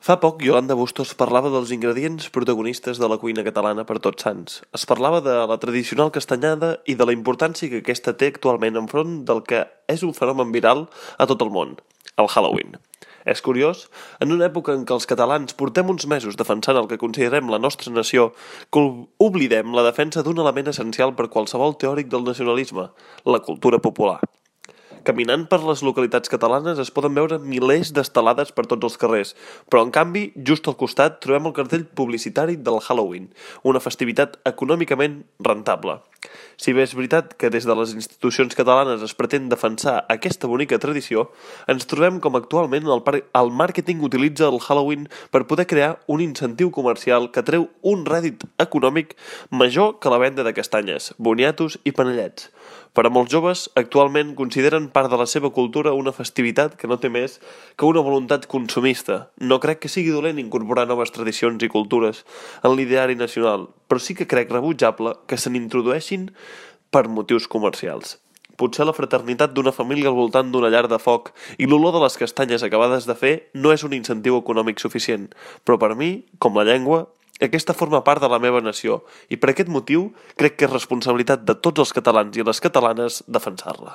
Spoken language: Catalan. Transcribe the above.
Fa poc Yolanda Bustos parlava dels ingredients protagonistes de la cuina catalana per Tots Sants. Es parlava de la tradicional castanyada i de la importància que aquesta té actualment enfront del que és un fenomen viral a tot el món, el Halloween. És curiós, en una època en què els catalans portem uns mesos defensant el que considerem la nostra nació, que oblidem la defensa d'un element essencial per qualsevol teòric del nacionalisme, la cultura popular. Caminant per les localitats catalanes es poden veure milers d'estelades per tots els carrers, però en canvi, just al costat trobem el cartell publicitari del Halloween, una festivitat econòmicament rentable. Si bé és veritat que des de les institucions catalanes es pretén defensar aquesta bonica tradició, ens trobem com actualment el màrqueting utilitza el Halloween per poder crear un incentiu comercial que treu un rèdit econòmic major que la venda de castanyes, boniatos i panellets. Per a molts joves, actualment consideren part de la seva cultura una festivitat que no té més que una voluntat consumista. No crec que sigui dolent incorporar noves tradicions i cultures en l'ideari nacional, però sí que crec rebutjable que se n'introdueixin per motius comercials. Potser la fraternitat d'una família al voltant d'una llar de foc i l'olor de les castanyes acabades de fer no és un incentiu econòmic suficient, però per mi, com la llengua, aquesta forma part de la meva nació i per aquest motiu crec que és responsabilitat de tots els catalans i les catalanes defensar-la.